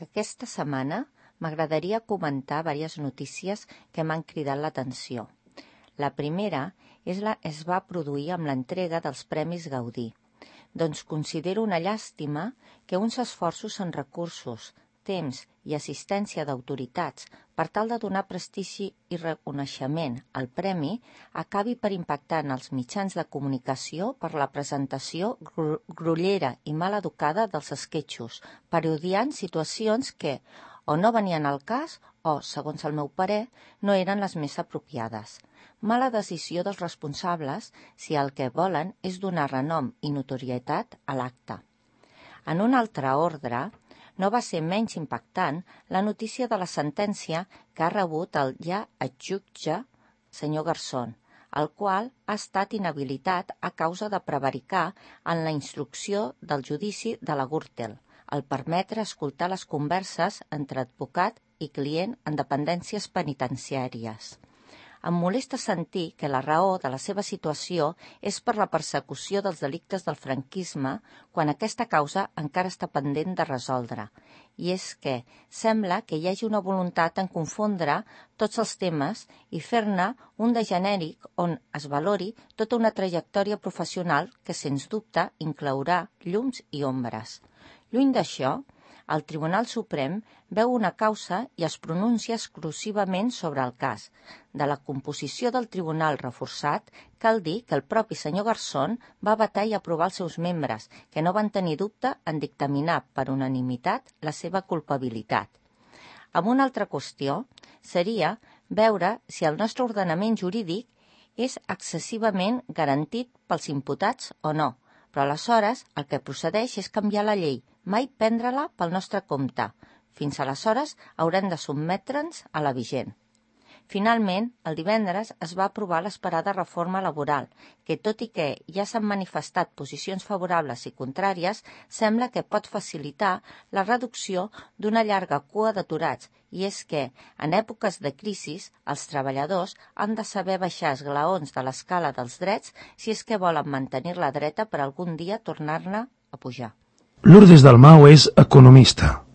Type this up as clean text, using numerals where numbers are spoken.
Aquesta setmana m'agradaria comentar diverses notícies que m'han cridat l'atenció. La primera es va produir amb l'entrega dels Premis Gaudí. Doncs considero una llàstima que uns esforços en recursos, temps i assistència d'autoritats per tal de donar prestigi i reconeixement al premi acabi per impactar en els mitjans de comunicació per la presentació grollera i mal educada dels esquetxos, parodiant situacions que o no venien al cas o, segons el meu parer, no eren les més apropiades. Mala decisió dels responsables si el que volen és donar renom i notorietat a l'acte. En un altre ordre, no va ser menys impactant la notícia de la sentència que ha rebut el ja exjutge senyor Garzón, el qual ha estat inhabilitat a causa de prevaricar en la instrucció del judici de la Gürtel, al permetre escoltar les converses entre advocat i client en dependències penitenciàries. Em molesta sentir que la raó de la seva situació és per la persecució dels delictes del franquisme quan aquesta causa encara està pendent de resoldre. I és que sembla que hi hagi una voluntat en confondre tots els temes i fer-ne un de genèric on es valori tota una trajectòria professional que, sens dubte, inclourà llums i ombres. Lluny d'això, el Tribunal Suprem veu una causa i es pronuncia exclusivament sobre el cas. De la composició del tribunal reforçat, cal dir que el propi senyor Garzón va vetar i aprovar els seus membres, que no van tenir dubte en dictaminar per unanimitat la seva culpabilitat. Amb una altra qüestió seria veure si el nostre ordenament jurídic és excessivament garantit pels imputats o no, però aleshores el que procedeix és canviar la llei, mai prendre-la pel nostre compte. Fins aleshores haurem de sotmetre'ns a la vigent. Finalment, el divendres es va aprovar l'esperada reforma laboral, que tot i que ja s'han manifestat posicions favorables i contràries, sembla que pot facilitar la reducció d'una llarga cua d'aturats, i és que, en èpoques de crisi, els treballadors han de saber baixar esglaons de l'escala dels drets si és que volen mantenir-la dreta per algun dia tornar-ne a pujar. Lourdes Dalmau és economista.